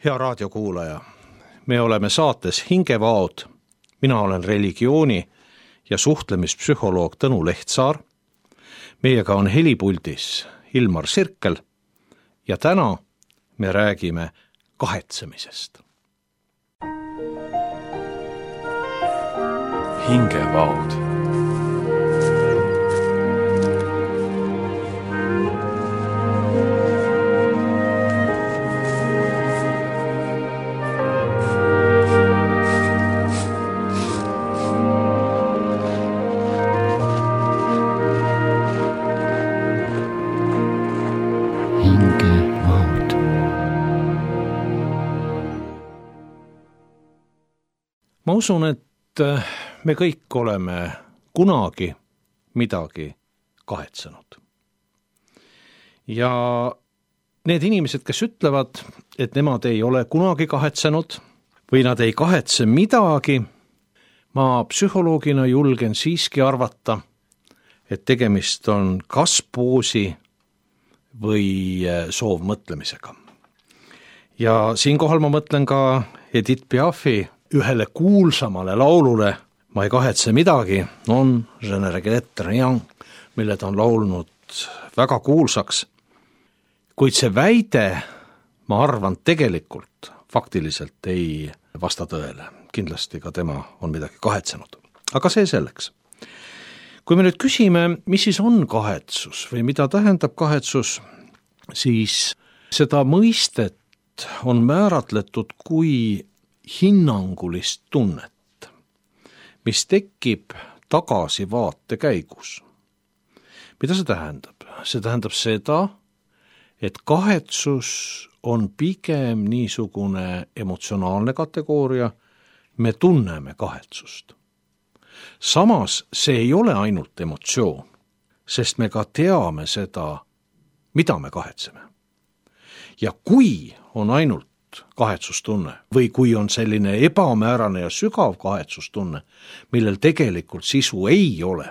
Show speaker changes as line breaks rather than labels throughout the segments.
Hea raadiokuulaja, me oleme saates Hingevaod. Mina olen religiooni- ja suhtlemispsühholoog Tõnu Lehtsaar. Meiega on helipuldis Ilmar Sirkel ja täna me räägime kahetsemisest.
Hingevaod.
Ma usun, et me kõik oleme kunagi midagi kahetsenud. Ja need inimesed, kes ütlevad, et nemad ei ole kunagi kahetsenud või nad ei kahetse midagi, ma psühholoogina julgen siiski arvata, et tegemist on kaspoosi või soovmõtlemisega. Ja siinkohal ma mõtlen ka Edith Piafi ühele kuulsamale laulule Ma ei kahetse midagi, non je ne regrette rien, mille ta on laulnud väga kuulsaks. Kuid see väide, ma arvan, tegelikult faktiliselt ei vasta tõele. Kindlasti ka tema on midagi kahetsenud. Aga see selleks. Kui me nüüd küsime, mis siis on kahetsus või mida tähendab kahetsus, siis seda mõistet on määratletud kui hinnangulist tunnet, mis tekib tagasivaate käigus. Mida see tähendab? See tähendab seda, et kahetsus on pigem niisugune emotsionaalne kategooria, me tunneme kahetsust. Samas see ei ole ainult emotsioon, sest me ka teame seda, mida me kahetseme. Ja kui on ainult kahetsustunne või kui on selline ebamäärane ja sügav kahetsustunne, millel tegelikult sisu ei ole,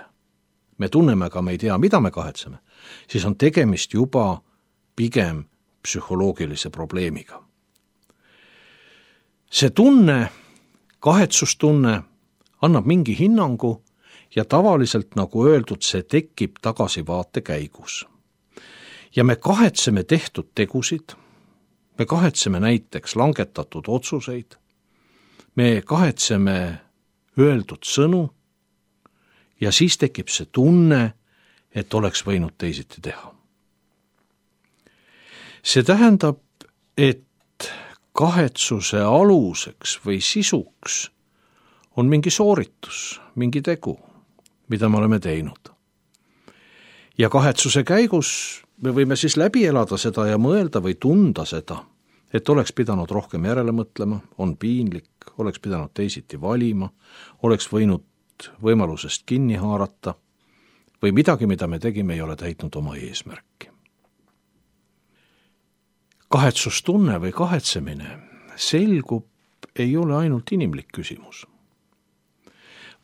me tunneme, aga me ei tea, mida me kahetseme, siis on tegemist juba pigem psühholoogilise probleemiga. See tunne, kahetsustunne, annab mingi hinnangu ja tavaliselt, nagu öeldud, see tekib tagasivaate käigus. Ja me kahetseme tehtud tegusid, me kahetseme näiteks langetatud otsuseid, me kahetseme öeldud sõnu ja siis tekib see tunne, et oleks võinud teisiti teha. See tähendab, et kahetsuse aluseks või sisuks on mingi sooritus, mingi tegu, mida me oleme teinud. Ja kahetsuse käigus me võime siis läbi elada seda ja mõelda või tunda seda, et oleks pidanud rohkem järele mõtlema, on piinlik, oleks pidanud teisiti valima, oleks võinud võimalusest kinni haarata või midagi, mida me tegime, ei ole täitnud oma eesmärki. Kahetsustunne või kahetsemine selgub, ei ole ainult inimlik küsimus,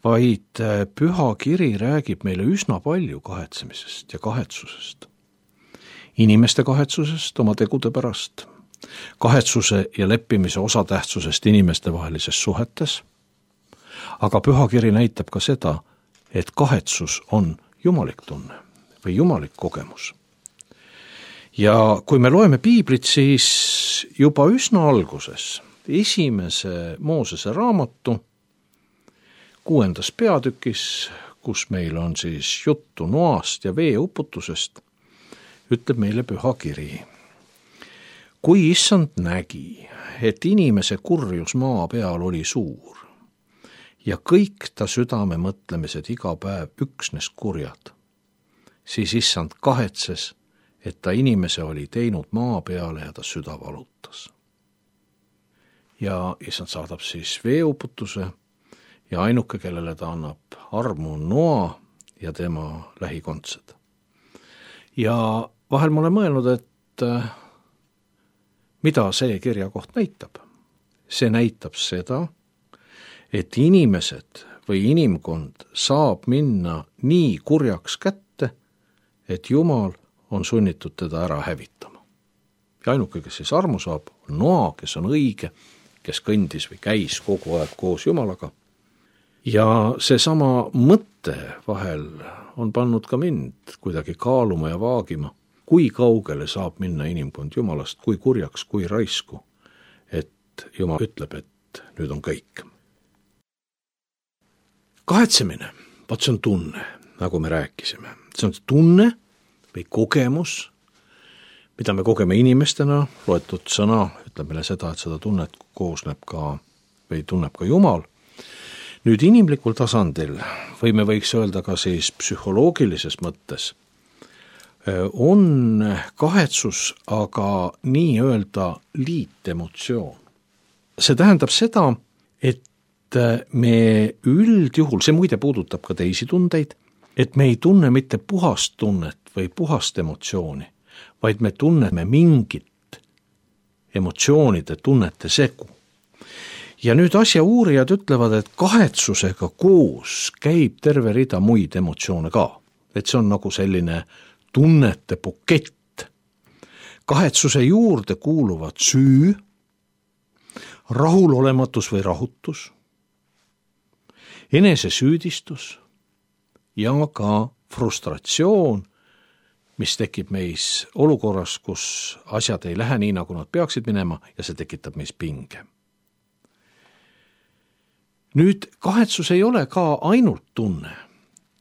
vaid Püha Kiri räägib meile üsna palju kahetsemisest ja kahetsusest. Inimeste kahetsusest oma tegude pärast, kahetsuse ja leppimise osatähtsusest inimeste vahelises suhetes, aga Püha Kiri näitab ka seda, et kahetsus on jumalik tunne või jumalik kogemus. Ja kui me loeme piiblit, siis juba üsna alguses, 1. Moosese raamatu 6. peatükis, kus meil on siis juttu Noast ja veeuputusest, ütleb meile Püha Kiri. Kui issand nägi, et inimese kurjus maa peal oli suur ja kõik ta südame mõtlemised iga päev üksnes kurjad, siis issand kahetses, et ta inimese oli teinud maa peale ja ta süda valutas. Ja issand saadab siis veeuputuse ja ainuke, kellele ta annab armu, on Noa ja tema lähikondsed. Ja vahel ma olen mõelnud, et mida see kirjakoht näitab? See näitab seda, et inimesed või inimkond saab minna nii kurjaks kätte, et Jumal on sunnitud teda ära hävitama. ja ainuke, kes siis armu saab, on Noa, kes on õige, kes kõndis või käis kogu aeg koos Jumalaga. Ja seesama mõte vahel on pannud ka mind kuidagi kaaluma ja vaagima, kui kaugele saab minna inimkond Jumalast, kui kurjaks, kui raisku, et Jumal ütleb, et nüüd on kõik. Kahetsemine, vaat see on tunne, nagu me rääkisime. See on tunne või kogemus, mida me kogeme inimestena, loetud sõna ütleb meile seda, et seda tunnet koosneb ka või tunneb ka Jumal. Nüüd inimlikul tasandil või me võiks öelda ka siis psühholoogilises mõttes on kahetsus aga nii-öelda liitemotsioon. See tähendab seda, et me üldjuhul, see muide puudutab ka teisi tundeid, et me ei tunne mitte puhast tunnet või puhast emotsiooni, vaid me tunneme mingit emotsioonide tunnete segu. Ja nüüd asja uurijad ütlevad, et kahetsusega koos käib terve rida muid emotsioone ka. Et see on nagu selline tunnete bukett. Kahetsuse juurde kuuluvad süü, rahulolematus või rahutus, enesesüüdistus ja ka frustratsioon, mis tekib meis olukorras, kus asjad ei lähe nii, nagu nad peaksid minema ja see tekitab meis pinge. Nüüd kahetsus ei ole ka ainult tunne,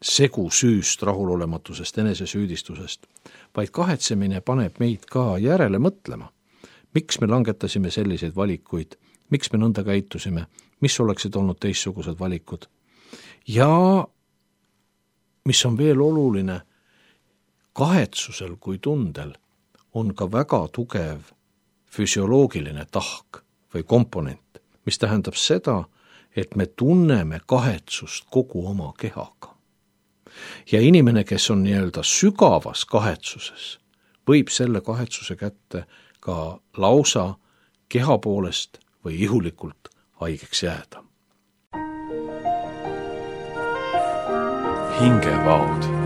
segu süüst, rahulolematusest, enesesüüdistusest, vaid kahetsemine paneb meid ka järele mõtlema. Miks me langetasime selliseid valikuid, miks me nõnda käitusime, mis oleksid olnud teistsugused valikud. Ja mis on veel oluline, kahetsusel kui tundel on ka väga tugev füsioloogiline tahk või komponent, mis tähendab seda, et me tunneme kahetsust kogu oma kehaga. Ja inimene, kes on nii-öelda sügavas kahetsuses, võib selle kahetsuse kätte ka lausa keha poolest või ihulikult haigeks jääda.
Hingevaud.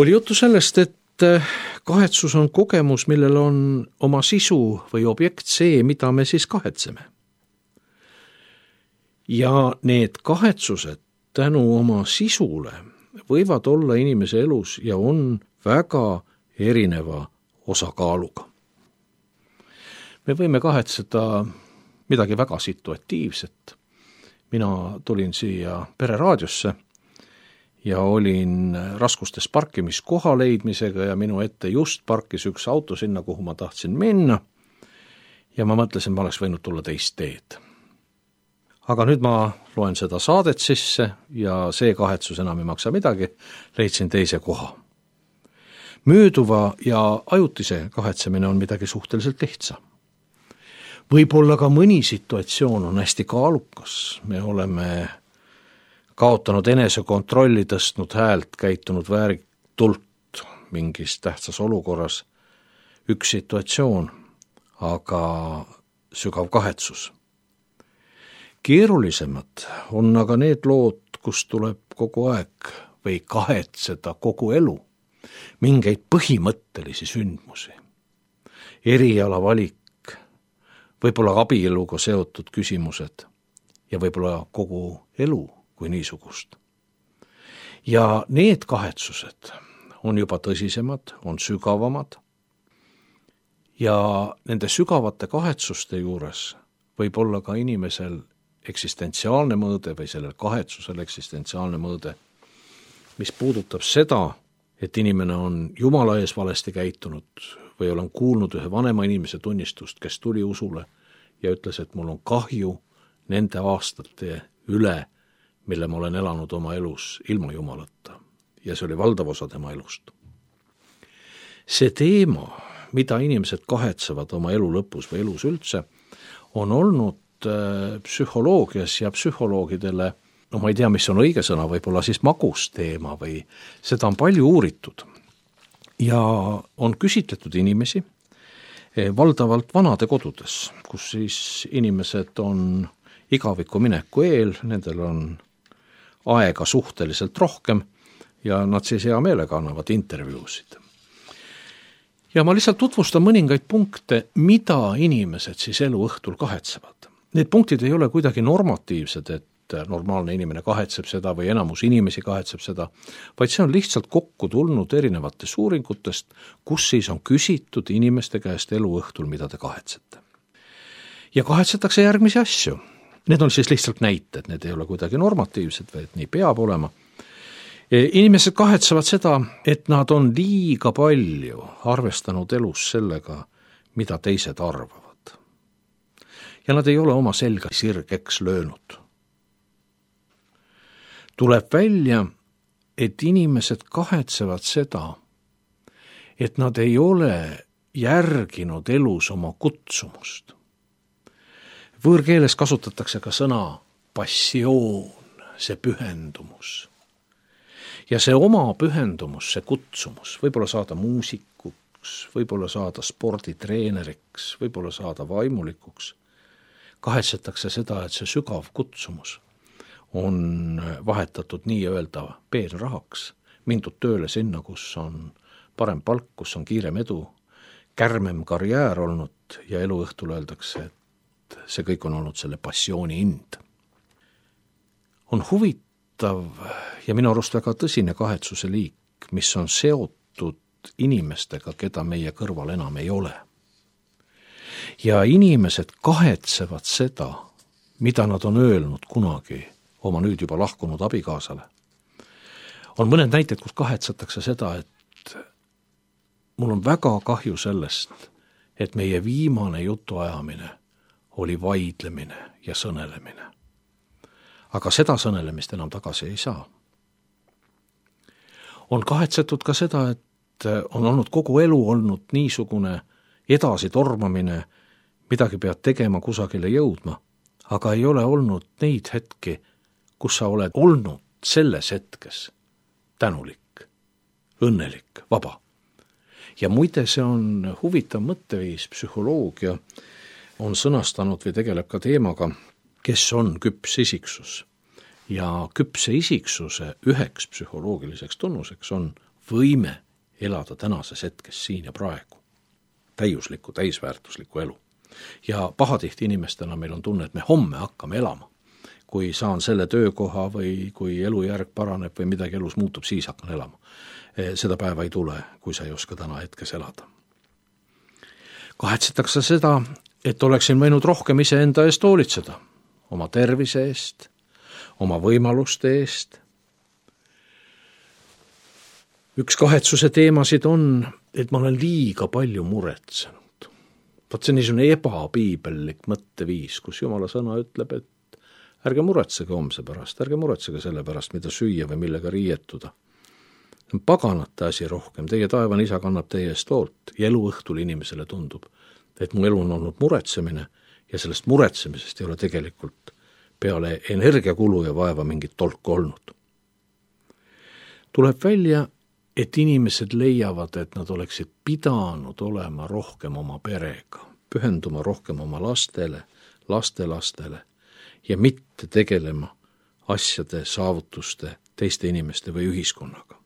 Oli juttu sellest, et kahetsus on kogemus, millel on oma sisu või objekt see, mida me siis kahetseme. Ja need kahetsused tänu oma sisule võivad olla inimese elus ja on väga erineva osakaaluga. Me võime kahetseda midagi väga situatiivset. Mina tulin siia Pereraadiosse ja olin raskustes parkimiskoha leidmisega ja minu ette just parkis üks auto sinna, kuhu ma tahtsin minna. Ja ma mõtlesin, ma oleks võinud tulla teist teed. Aga nüüd ma loen seda saadet sisse ja see kahetsus enam ei maksa midagi, leidsin teise koha. Mööduva ja ajutise kahetsemine on midagi suhteliselt lihtsa. Võib-olla ka mõni situatsioon on hästi kaalukas, me oleme kaotanud enesekontrolli, tõstnud häält, käitunud vääritult mingis tähtsas olukorras. Üks situatsioon, aga sügav kahetsus. Keerulisemad on aga need lood, kus tuleb kogu aeg või kahetseda kogu elu, mingeid põhimõttelisi sündmusi, eriala valik, võib-olla abieluga seotud küsimused ja võib-olla kogu elu kui niisugust. Ja need kahetsused on juba tõsisemad, on sügavamad ja nende sügavate kahetsuste juures võib olla ka inimesel eksistentsiaalne mõõde või sellel kahetsusel eksistentsiaalne mõõde, mis puudutab seda, et inimene on Jumala ees valesti käitunud või olen kuulnud ühe vanema inimese tunnistust, kes tuli usule ja ütles, et mul on kahju nende aastate üle, mille ma olen elanud oma elus ilma Jumalata. Ja see oli valdav osa tema elust. See teema, mida inimesed kahetsevad oma elu lõpus või elus üldse, on olnud psühholoogias ja psühholoogidele, no ma ei tea, mis on õige sõna, võib-olla siis magusteema või seda on palju uuritud. Ja on küsitletud inimesi valdavalt vanade kodudes, kus siis inimesed on igaviku mineku eel, nendel on aega suhteliselt rohkem ja nad siis hea meelega annavad intervjuusid. Ja ma lihtsalt tutvustan mõningaid punkte, mida inimesed siis elu õhtul kahetsevad. Need punktid ei ole kuidagi normatiivsed, et normaalne inimene kahetseb seda või enamus inimesi kahetseb seda, vaid see on lihtsalt kokku tulnud erinevatest uuringutest, kus siis on küsitud inimeste käest elu õhtul, mida te kahetsete. Ja kahetsetakse järgmisi asju. Need on siis lihtsalt näited, need ei ole kuidagi normatiivsed või et nii peab olema. Inimesed kahetsevad seda, et nad on liiga palju arvestanud elus sellega, mida teised arvavad. Ja nad ei ole oma selga sirgeks löönud. Tuleb välja, et inimesed kahetsevad seda, et nad ei ole järginud elus oma kutsumust. Võõrkeeles kasutatakse ka sõna passioon, see pühendumus. Ja see oma pühendumus, see kutsumus, võib-olla saada muusikuks, võib-olla saada sporditreeneriks, võib-olla saada vaimulikuks, kahetsetakse seda, et see sügav kutsumus on vahetatud nii-öelda peenrahaks, mindud tööle sinna, kus on parem palk, kus on kiirem edu, kärmem karjäär olnud ja elu õhtul öeldakse, et see kõik on olnud selle passiooni hind. On huvitav ja minu arust väga tõsine kahetsuse liik, mis on seotud inimestega, keda meie kõrval enam ei ole. Ja inimesed kahetsevad seda, mida nad on öelnud kunagi oma nüüd juba lahkunud abikaasale. On mõned näited, kus kahetsetakse seda, et mul on väga kahju sellest, et meie viimane jutuajamine oli vaidlemine ja sõnelemine. Aga seda sõnelemist enam tagasi ei saa. On kahetsetud ka seda, et on olnud kogu elu olnud niisugune edasi tormamine, midagi pead tegema, kusagile jõudma, aga ei ole olnud neid hetki, kus sa oled olnud selles hetkes tänulik, õnnelik, vaba. Ja muide, see on huvitav mõtteviis, psühholoogia on sõnastanud või tegeleb ka teemaga, kes on küps isiksus. Ja küpse isiksuse üheks psühholoogiliseks tunnuseks on võime elada tänases hetkes siin ja praegu. Täiuslikku, täisväärtuslikku elu. Ja pahatihti inimestena meil on tunne, et me homme hakkame elama. Kui saan selle töökoha või kui elujärg paraneb või midagi elus muutub, siis hakkan elama. Seda päeva ei tule, kui sa ei oska täna hetkes elada. Kahetsetakse seda, et oleksin võinud rohkem iseenda eest hoolitseda, oma tervise eest, oma võimaluste eest. Üks kahetsuse teemasid on, et ma olen liiga palju muretsenud. Vaat see on niisugune ebapiibellik mõtteviis, kus Jumala sõna ütleb, et ärge muretsege homse pärast, ärge muretsege selle pärast, mida süüa või millega riietuda. Paganate asi rohkem, teie taevane isa kannab teie eest hoolt ja elu õhtul inimesele tundub, et mu elu on olnud muretsemine ja sellest muretsemisest ei ole tegelikult peale energiakulu ja vaeva mingit tolku olnud. Tuleb välja, et inimesed leiavad, et nad oleksid pidanud olema rohkem oma perega, pühenduma rohkem oma lastele, lastelastele ja mitte tegelema asjade, saavutuste, teiste inimeste või ühiskonnaga.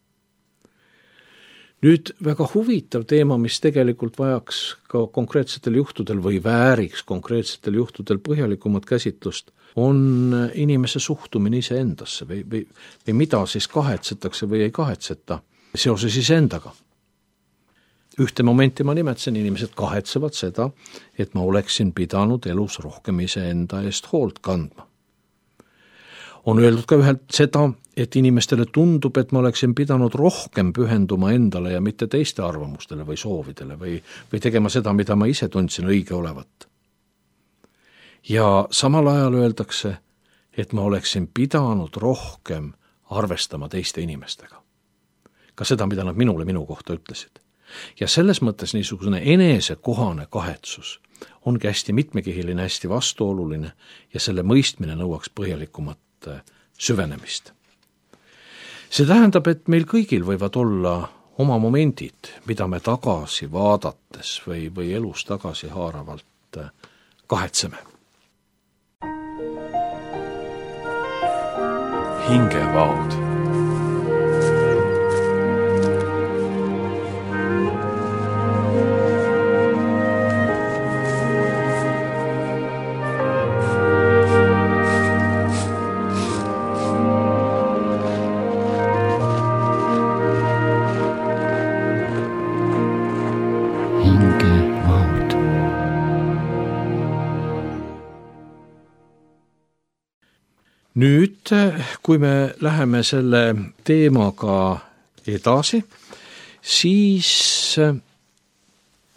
Nüüd väga huvitav teema, mis tegelikult vajaks ka konkreetsetel juhtudel või vääriks konkreetsetel juhtudel põhjalikumat käsitlust, on inimese suhtumine iseendasse või mida siis kahetsetakse või ei kahetseta seoses iseendaga. Ühte momenti ma nimetasin, inimesed kahetsevad seda, et ma oleksin pidanud elus rohkem iseenda eest hoolt kandma. On öeldud ka ühelt seda, et inimestele tundub, et ma oleksin pidanud rohkem pühenduma endale ja mitte teiste arvamustele või soovidele või tegema seda, mida ma ise tundsin õige olevat. Ja samal ajal öeldakse, et ma oleksin pidanud rohkem arvestama teiste inimestega. Ka seda, mida nad minule minu kohta ütlesid. Ja selles mõttes niisugune enesekohane kahetsus ongi hästi mitmekihiline, hästi vastuoluline ja selle mõistmine nõuaks põhjalikumat süvenemist. See tähendab, et meil kõigil võivad olla oma momendid, mida me tagasi vaadates või elus tagasi haaravalt kahetseme.
Hingevaod.
Nüüd, kui me läheme selle teemaga edasi, siis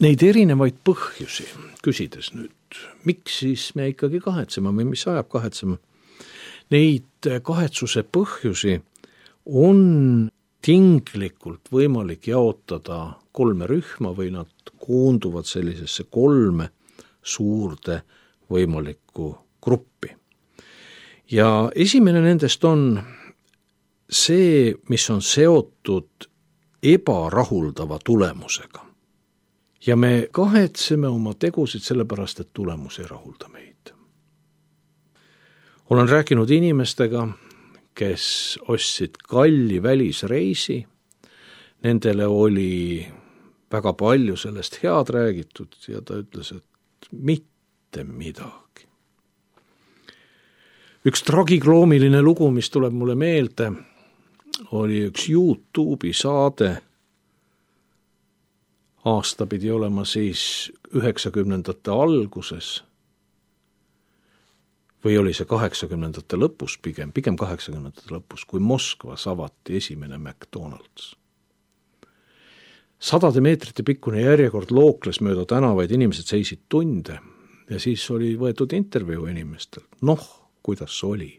neid erinevaid põhjusi, küsides nüüd, miks siis me ikkagi kahetseme või mis ajab kahetsema, neid kahetsuse põhjusi on tinglikult võimalik jaotada 3 rühma või nad koonduvad sellisesse 3 suurde võimalikku gruppi. Ja esimene nendest on see, mis on seotud ebarahuldava tulemusega. Ja me kahetseme oma tegusid sellepärast, et tulemus ei rahulda meid. Olen rääkinud inimestega, kes ostsid kalli välisreisi, nendele oli väga palju sellest head räägitud ja ta ütles, et mitte midagi. Üks tragikloomiline lugu, mis tuleb mulle meelde, oli üks YouTube'i saade. Aasta pidi olema siis 90ndate alguses või oli see 80ndate lõpus pigem 80ndate lõpus, kui Moskvas avati esimene McDonald's. 100 meetrite pikkune järjekord lookles mööda tänavaid, inimesed seisid tunde ja siis oli võetud intervjuu inimestel. Kuidas oli?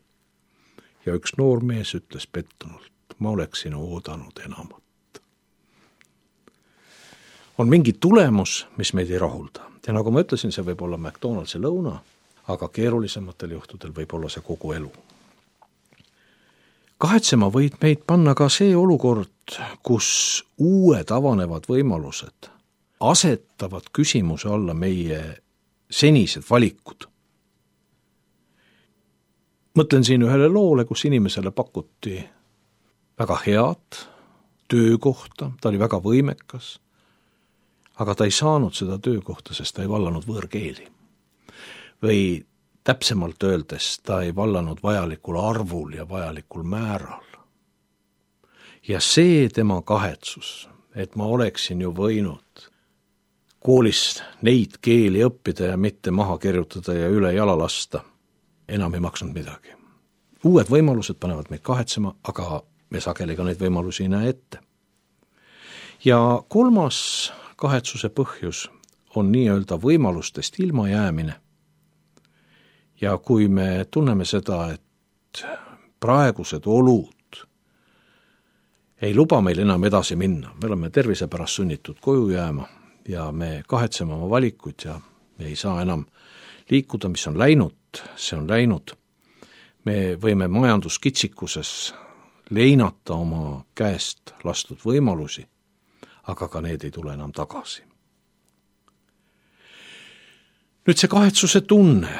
Ja üks noor mees ütles pettunult, ma oleksin oodanud enamat. On mingi tulemus, mis meid ei rahulda. Ja nagu ma ütlesin, see võib olla McDonald'si lõuna, aga keerulisematel juhtudel võib olla see kogu elu. Kahetsema võid meid panna ka see olukord, kus uued avanevad võimalused asetavad küsimuse alla meie senised valikud. Mõtlen siin ühele loole, kus inimesele pakuti väga head töökohta, ta oli väga võimekas, aga ta ei saanud seda töökohta, sest ta ei vallanud võõrkeeli. Või täpsemalt öeldes, ta ei vallanud vajalikul arvul ja vajalikul määral. Ja see tema kahetsus, et ma oleksin ju võinud koolis neid keeli õppida ja mitte maha kirjutada ja üle jala lasta, enam ei maksnud midagi. Uued võimalused panevad meid kahetsema, aga me sageli ka neid võimalusi ei näe ette. Ja 3. kahetsuse põhjus on nii-öelda võimalustest ilma jäämine. Ja kui me tunneme seda, et praegused olud ei luba meil enam edasi minna, me oleme tervise pärast sunnitud koju jääma ja me kahetseme oma valikuid ja me ei saa enam liikuda, mis on läinud, see on läinud. Me võime majanduskitsikuses leinata oma käest lastud võimalusi, aga ka need ei tule enam tagasi. Nüüd see kahetsuse tunne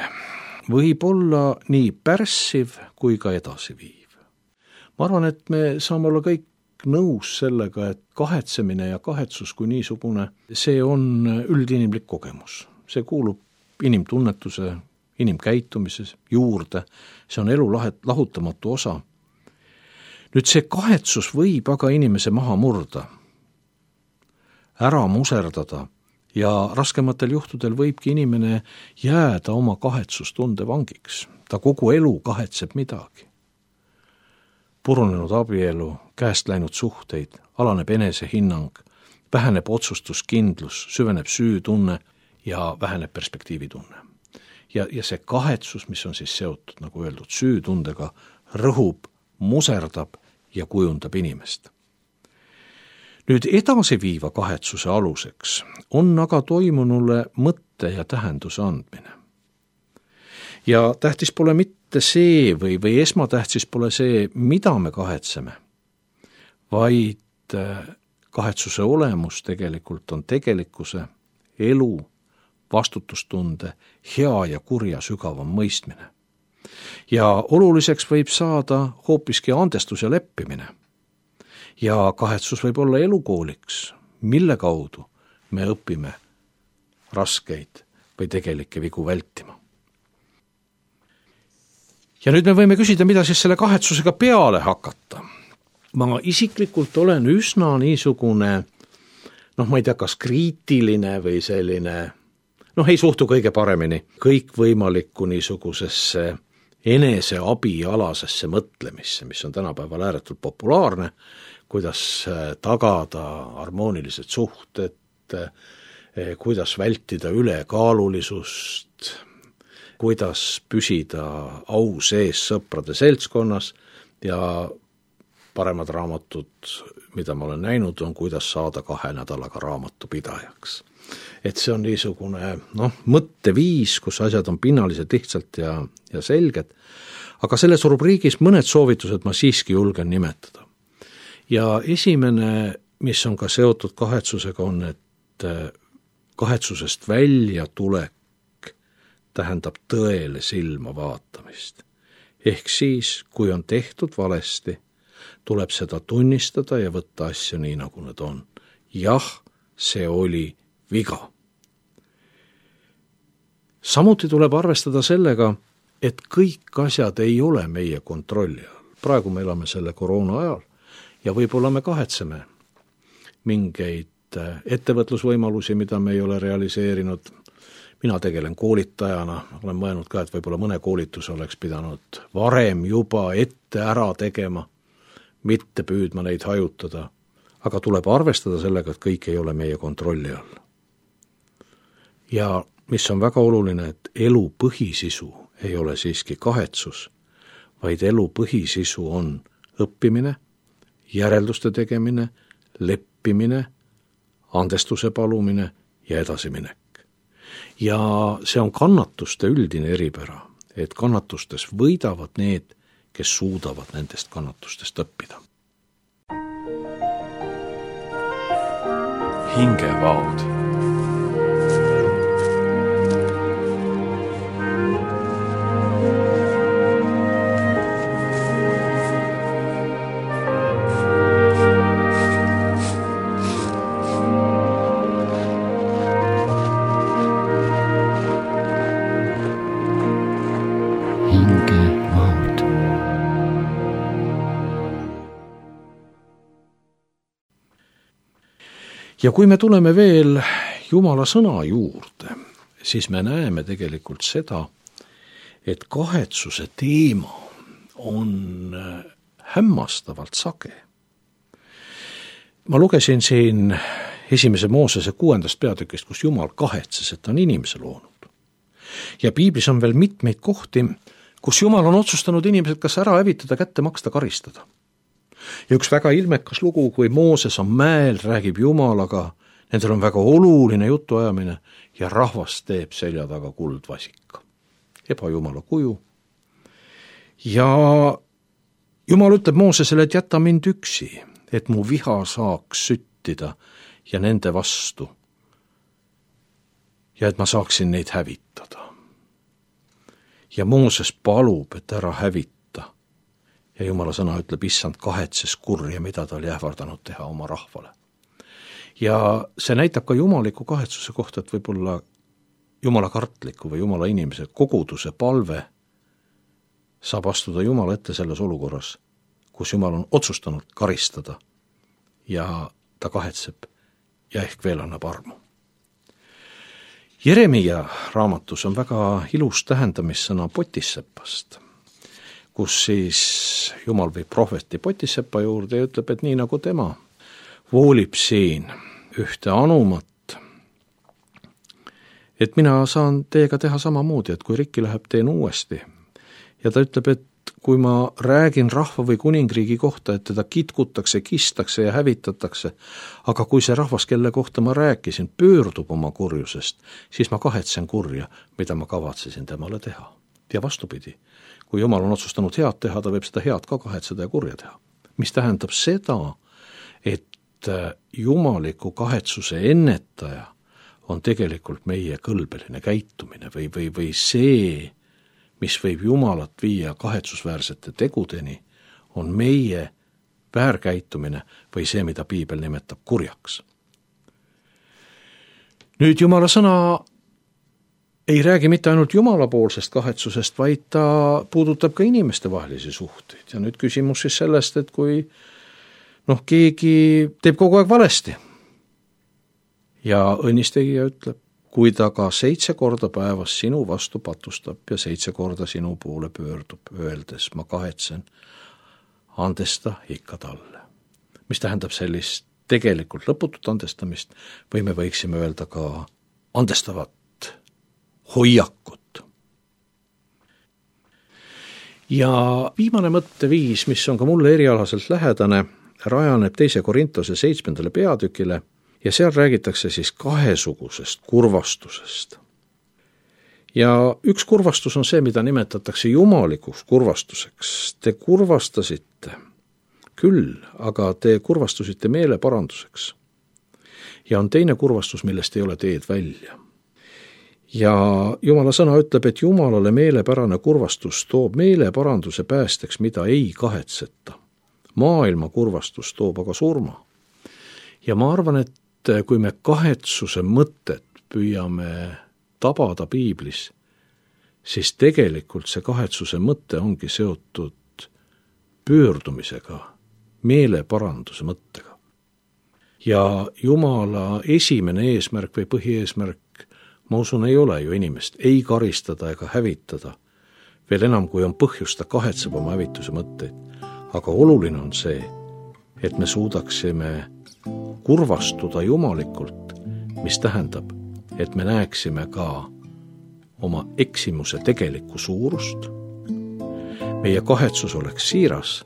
võib olla nii pärssiv kui ka edasiviiv. Ma arvan, et me saame olla kõik nõus sellega, et kahetsemine ja kahetsus kui niisugune, see on üldinimlik kogemus. See kuulub inimtunnetuse, inimkäitumises juurde, see on elu lahutamatu osa. Nüüd see kahetsus võib aga inimese maha murda, ära muserdada ja raskematel juhtudel võibki inimene jääda oma kahetsustunde vangiks. Ta kogu elu kahetseb midagi. Purunenud abielu, käest läinud suhteid, alaneb enesehinnang, väheneb otsustuskindlus, süveneb süütunne ja väheneb perspektiivitunne. Ja see kahetsus, mis on siis seotud, nagu öeldud, süütundega, rõhub, muserdab ja kujundab inimest. Nüüd edasiviiva kahetsuse aluseks on aga toimunule mõtte ja tähenduse andmine. Ja tähtis pole mitte see või esmatähtis pole see, mida me kahetseme, vaid kahetsuse olemus tegelikult on tegelikkuse, elu, vastutustunde, hea ja kurja sügavam mõistmine. Ja oluliseks võib saada hoopiski andestus ja leppimine. Ja kahetsus võib olla elukooliks, mille kaudu me õpime raskeid või tegelikke vigu vältima. Ja nüüd me võime küsida, mida siis selle kahetsusega peale hakata. Ma isiklikult olen üsna niisugune, ma ei tea, kas kriitiline või selline, ei suhtu kõige paremini kõikvõimalikku niisugusesse eneseabialasesse mõtlemisse, mis on tänapäeval ääretult populaarne, kuidas tagada harmoonilised suhted, kuidas vältida ülekaalulisust, kuidas püsida au sees sõprade seltskonnas ja paremad raamatud, mida ma olen näinud, on kuidas saada 2 nädalaga raamatupidajaks. Et see on niisugune mõtteviis, kus asjad on pinnalised lihtsalt ja selged, aga selles rubriigis mõned soovitused ma siiski julgen nimetada. Ja esimene, mis on ka seotud kahetsusega, on, et kahetsusest välja tulek tähendab tõele silma vaatamist. Ehk siis, kui on tehtud valesti, tuleb seda tunnistada ja võtta asju nii, nagu need on. Jah, see oli viga. Samuti tuleb arvestada sellega, et kõik asjad ei ole meie kontrolli all. Praegu me elame selle koroona ajal ja võib-olla me kahetseme mingeid ettevõtlusvõimalusi, mida me ei ole realiseerinud. Mina tegelen koolitajana, olen mõelnud ka, et võib-olla mõne koolituse oleks pidanud varem juba ette ära tegema, mitte püüdma neid hajutada, aga tuleb arvestada sellega, et kõik ei ole meie kontrolli all. Ja mis on väga oluline, et elu põhisisu ei ole siiski kahetsus, vaid elu põhisisu on õppimine, järelduste tegemine, leppimine, andestuse palumine ja edasiminek. Ja see on kannatuste üldine eripära, et kannatustes võidavad need, kes suudavad nendest kannatustest õppida.
Hingevaod.
Ja kui me tuleme veel Jumala sõna juurde, siis me näeme tegelikult seda, et kahetsuse teema on hämmastavalt sage. Ma lugesin siin 1. Moosese 6. peatükist, kus Jumal kahetses, et ta on inimese loonud. Ja piiblis on veel mitmeid kohti, kus Jumal on otsustanud inimesed kas ära hävitada, kätte maksta, karistada. Ja üks väga ilmekas lugu, kui Mooses on mäel, räägib Jumalaga, nendel on väga oluline jutuajamine ja rahvas teeb selja taga kuldvasika. Ebajumala kuju. Ja Jumal ütleb Moosesele, et jäta mind üksi, et mu viha saaks süttida ja nende vastu. Ja et ma saaksin neid hävitada. Ja Mooses palub, et ära hävita. Ja Jumala sõna ütleb, issand kahetses kurja, mida ta oli ähvardanud teha oma rahvale. Ja see näitab ka jumaliku kahetsuse kohta, et võib-olla Jumala kartliku või Jumala inimese koguduse palve saab astuda Jumala ette selles olukorras, kus Jumal on otsustanud karistada ja ta kahetseb ja ehk veel annab armu. Jeremia raamatus on väga ilus tähendamissõna potissepast, kus siis Jumal viib prohveti Potissepa juurde ja ütleb, et nii nagu tema voolib siin ühte anumat, et mina saan teiega teha samamoodi, et kui rikki läheb, teen uuesti. Ja ta ütleb, et kui ma räägin rahva või kuningriigi kohta, et teda kitkutakse, kistakse ja hävitatakse, aga kui see rahvas, kelle kohta ma rääkisin, pöördub oma kurjusest, siis ma kahetsen kurja, mida ma kavatsesin temale teha. Ja vastupidi, kui Jumal on otsustanud head teha, ta võib seda head ka kahetseda ja kurja teha. Mis tähendab seda, et jumaliku kahetsuse ennetaja on tegelikult meie kõlbeline käitumine või see, mis võib Jumalat viia kahetsusväärsete tegudeni, on meie väärkäitumine või see, mida piibel nimetab kurjaks. Nüüd Jumala sõna ei räägi mitte ainult Jumalapoolsest kahetsusest, vaid ta puudutab ka inimeste vahelisi suhteid. Ja nüüd küsimus siis sellest, et kui keegi teeb kogu aeg valesti ja õnnistegija ütleb, kui ta ka 7 korda päevas sinu vastu patustab ja 7 korda sinu poole pöördub, öeldes ma kahetsen, andesta ikka talle. Mis tähendab sellist tegelikult lõputut andestamist või me võiksime öelda ka andestavat hoiakut. Ja viimane mõtteviis, mis on ka mulle erialaselt lähedane, rajaneb 2. Korintuse 7. peatükile ja seal räägitakse siis kahesugusest kurvastusest. Ja üks kurvastus on see, mida nimetatakse jumalikuks kurvastuseks. Te kurvastasite küll, aga te kurvastusite meeleparanduseks. Ja on teine kurvastus, millest ei ole teed välja. Ja Jumala sõna ütleb, et Jumalale meelepärane kurvastus toob meeleparanduse päästeks, mida ei kahetseta. Maailma kurvastus toob aga surma. Ja ma arvan, et kui me kahetsuse mõtet püüame tabada piiblis, siis tegelikult see kahetsuse mõte ongi seotud pöördumisega, meeleparanduse mõttega. Ja Jumala esimene eesmärk või põhieesmärk, ma usun, ei ole ju inimest ei karistada ega hävitada, veel enam kui on põhjust, ta kahetseb oma hävituse mõtteid. Aga oluline on see, et me suudaksime kurvastuda jumalikult, mis tähendab, et me näeksime ka oma eksimuse tegelikku suurust. Meie kahetsus oleks siiras,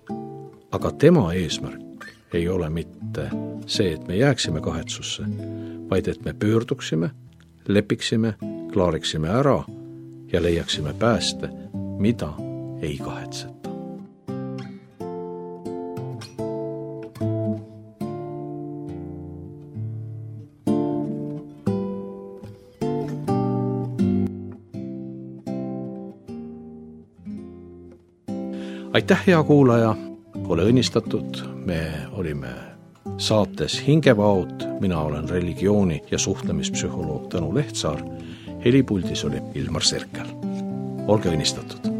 aga tema eesmärk ei ole mitte see, et me jääksime kahetsusse, vaid et me pöörduksime, lepiksime, klaariksime ära ja leiaksime pääste, mida ei kahetseta. Aitäh, hea kuulaja, ole õnnistatud, me olime saates Hingevaod, mina olen religiooni- ja suhtlemispsühholoog Tõnu Lehtsaar, helipuldis oli Ilmar Serkel. Olge õnnistatud!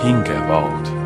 Hingevaod